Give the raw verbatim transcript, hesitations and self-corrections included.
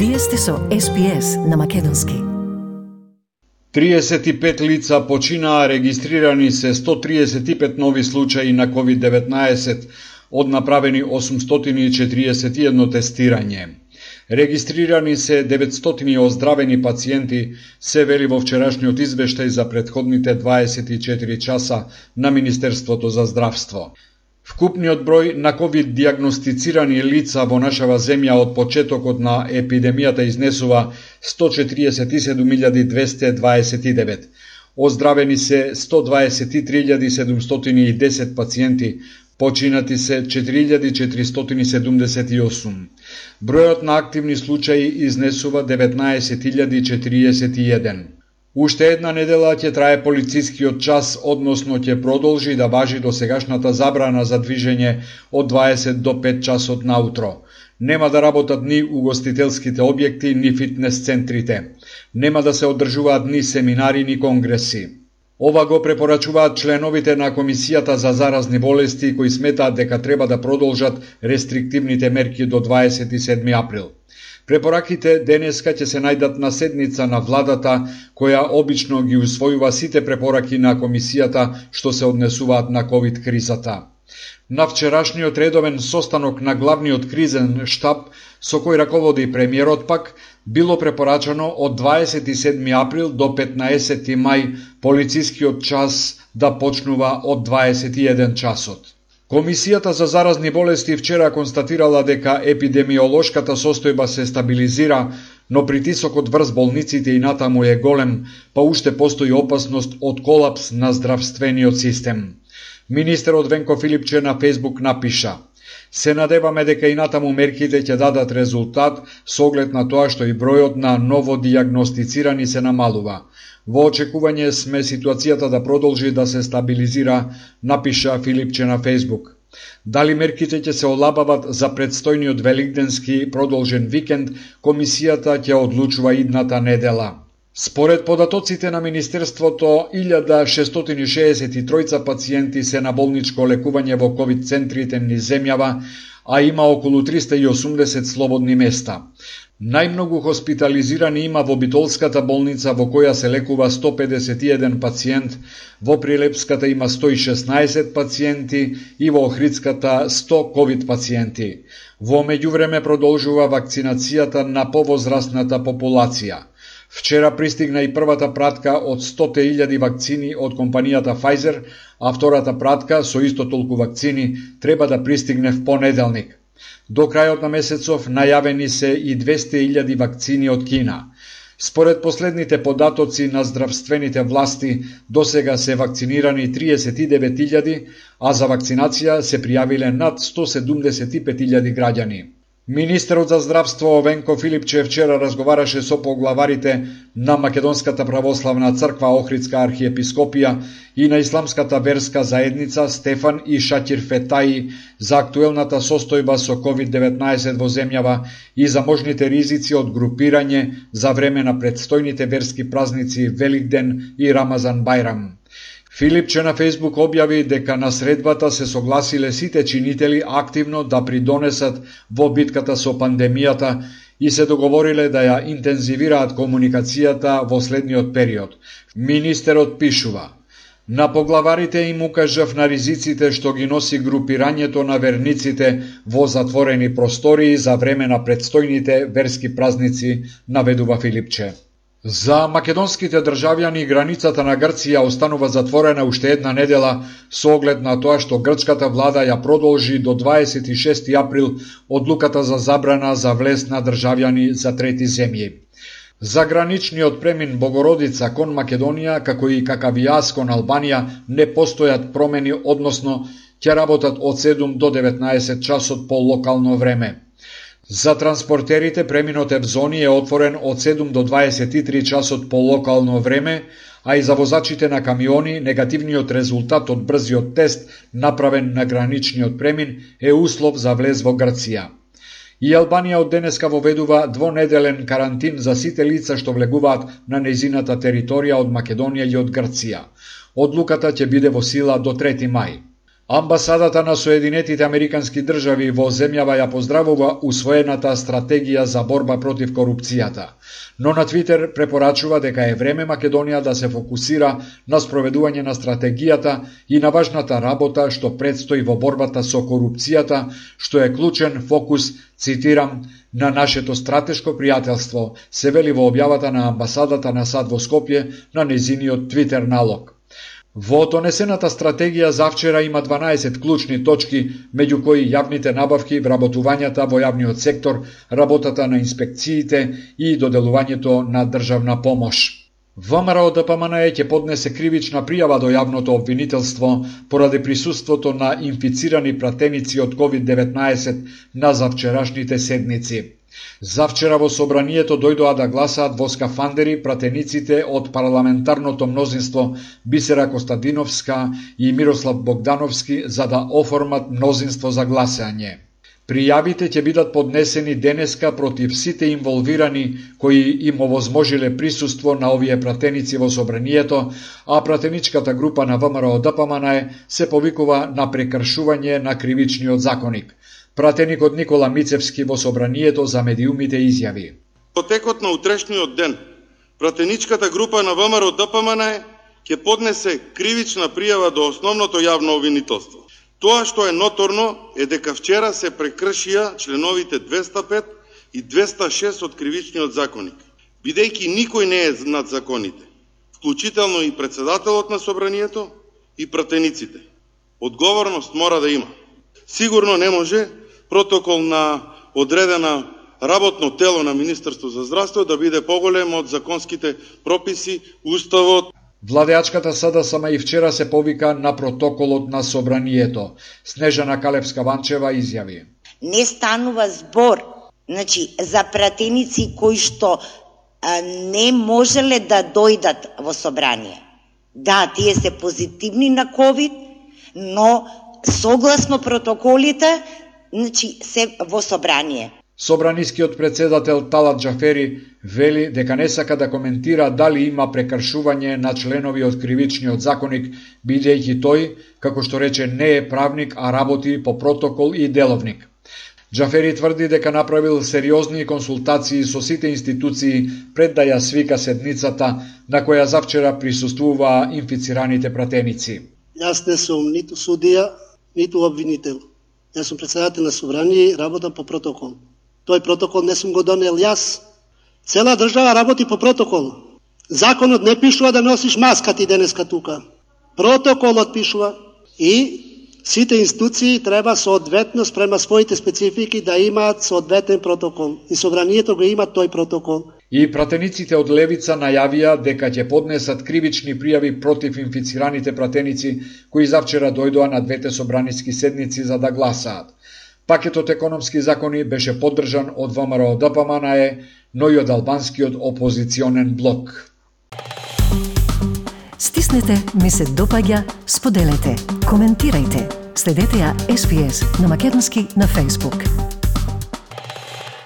Вие сте со Ес Би Ес на македонски. триесет и пет лица починаа, регистрирани се сто триесет и пет нови случаи на ковид деветнаесет, од направени осумстотини и четириесет и едно тестирање. Регистрирани се деветстотини оздравени пациенти, се вели во вчерашниот извештај за претходните дваесет и четири часа на Министерството за здравство. Вкупниот број на ковид диагностицирани лица во нашава земја од почетокот на епидемијата изнесува сто четириесет и седум илјади двесте дваесет и девет. Оздравени се сто дваесет и три илјади седумстотини и десет пациенти, починати се четири илјади четиристотини седумдесет и осум. Бројот на активни случаи изнесува деветнаесет илјади четириесет и еден. Уште една недела ќе трае полицискиот час, односно ќе продолжи да важи досегашната забрана за движење од дваесет до пет часот наутро. Нема да работат ни угостителските објекти, ни фитнес центрите. Нема да се одржуваат ни семинари, ни конгреси. Ова го препорачуваат членовите на Комисијата за заразни болести, кои сметаат дека треба да продолжат рестриктивните мерки до дваесет и седми април. Препораките денеска ќе се најдат на седница на владата, која обично ги усвојува сите препораки на Комисијата што се однесуваат на ковид кризата. На вчерашниот редовен состанок на главниот кризен штаб, со кој раководи премиерот пак, било препорачано од дваесет и седми април до петнаесети мај полицискиот час да почнува од дваесет и еден часот. Комисијата за заразни болести вчера констатирала дека епидемиолошката состојба се стабилизира, но притисокот врз болниците и натаму е голем, па уште постои опасност од колапс на здравствениот систем. Министерот Венко Филипче на Фејсбук напиша: "Се надеваме дека и натаму мерките ќе дадат резултат со оглед на тоа што и бројот на новодиагностицирани се намалува. Во очекување сме ситуацијата да продолжи да се стабилизира", напиша Филипче на Фејсбук. Дали мерките ќе се олабават за предстојниот великденски продолжен викенд, комисијата ќе одлучува идната недела. Според податоците на Министерството, илјада шестстотини шеесет и тројца пациенти се на болничко лекување во ковид центрите низ земјава, а има околу триста и осумдесет слободни места. Најмногу хоспитализирани има во Битолската болница, во која се лекува сто педесет и еден пациент, во Прилепската има сто и шеснаесет пациенти и во Охридската сто ковид пациенти. Во меѓувреме продолжува вакцинацијата на повозрастната популација. Вчера пристигна и првата пратка од сто илјади вакцини од компанијата Pfizer, а втората пратка со исто толку вакцини треба да пристигне в понеделник. До крајот на месецов најавени се и двесте илјади вакцини од Кина. Според последните податоци на здравствените власти, досега се вакцинирани триесет и девет илјади, а за вакцинација се пријавиле над сто седумдесет и пет илјади граѓани. Министерот за здравство Венко Филипче вчера разговараше со поглаварите на Македонската православна црква Охридска архиепископија и на Исламската верска заедница Стефан и Шакир Фетаи за актуелната состојба со ковид деветнаесет во земјава и за можните ризици од групирање за време на предстојните верски празници Великден и Рамазан Бајрам. Филипче на Фејсбук објави дека на средбата се согласиле сите чинители активно да придонесат во битката со пандемијата и се договориле да ја интензивираат комуникацијата во следниот период. Министерот пишува: "На поглаварите им укажав на ризиците што ги носи групирањето на верниците во затворени простории за време на предстојните верски празници", наведува Филипче. За македонските државјани границата на Грција останува затворена уште една недела со оглед на тоа што грчката влада ја продолжи до дваесет и шести април одлуката за забрана за влез на државјани за трети земји. За граничниот премин Богородица кон Македонија, како и Какавијас кон Албанија, не постојат промени, односно ќе работат од седум до деветнаесет часот по локално време. За транспортерите преминот Евзони е отворен од седум до дваесет и три часот по локално време, а и за возачите на камиони негативниот резултат од брзиот тест направен на граничниот премин е услов за влез во Грција. И Албанија од денеска воведува двонеделен карантин за сите лица што влегуваат на нејзината територија од Македонија и од Грција. Одлуката ќе биде во сила до трети мај. Амбасадата на Соединетите Американски држави во земјава ја поздравува усвоената стратегија за борба против корупцијата, но на Твитер препорачува дека е време Македонија да се фокусира на спроведување на стратегијата и на важната работа што предстои во борбата со корупцијата, што е клучен фокус, цитирам, на нашето стратешко пријателство, се вели во објавата на амбасадата на САД во Скопје на нејзиниот Твитер налог. Во донесената стратегија за вчера има дванаесет клучни точки, меѓу кои јавните набавки, вработувањата во јавниот сектор, работата на инспекциите и доделувањето на државна помош. ВМРО Д П М Н Е ќе поднесе кривична пријава до јавното обвинителство поради присуството на инфицирани пратеници од ковид деветнаесет на завчерашните седници. Завчера во собранието дојдоа да гласаат во скафандери пратениците од парламентарното мнозинство Бисера Костадиновска и Мирослав Богдановски за да оформат мнозинство за гласање. Пријавите ќе бидат поднесени денеска против сите инволвирани кои им овозможиле присуство на овие пратеници во собранието, а пратеничката група на ВМРО Д П М Н Е се повикува на прекршување на кривичниот законик. Пратеникот Никола Мицевски во собранието за медиумите изјави: Во текот на утрешниот ден, пратеничката група на ВМРО Д П М Н Е ќе поднесе кривична пријава до основното јавно обвинителство. Тоа што е ноторно е дека вчера се прекршија членовите двеста пет и двеста шест од кривичниот законик, бидејќи никој не е над законите, вклучително и председателот на собранието и пратениците. Одговорност мора да има. Сигурно не може протокол на одредена работно тело на Министерство за здравство да биде поголем од законските прописи, уставот. Владеачката С Д С М и вчера се повика на протоколот на собранието. Снежана Калевска-Ванчева изјави: Не станува збор, значи, за пратеници кои што а, не можеле да дојдат во собрание. Да, тие се позитивни на ковид, но согласно протоколите, значи, се во собрание. Собранискиот председател Талат Џафери вели дека не сака да коментира дали има прекршување на членови од кривичниот законик, бидејќи тој, како што рече, не е правник, а работи по протокол и деловник. Џафери тврди дека направил сериозни консултации со сите институции пред да ја свика седницата на која завчера присуствуваа инфицираните пратеници. Јас не сум ниту судија, ниту обвинител. Јас сум председател на собрание и работам по протокол. Тој протокол не сум го донел јас. Цела држава работи по протокол. Законот не пишува да носиш маска ти денеска тука. Протоколот пишува и сите институции треба соодветно спрема своите специфики да имаат соодветен протокол. И собранието го има тој протокол. И пратениците од Левица најавија дека ќе поднесат кривични пријави против инфицираните пратеници кои завчера дојдоа на двете собраниски седници за да гласаат. Пакетот економски закони беше поддржан од ВМРО Д П М Н Е, но и од албанскиот опозиционен блок. Стиснете, ми се допаѓа, споделете, коментирајте. Следете ја С Б С на македонски на Facebook.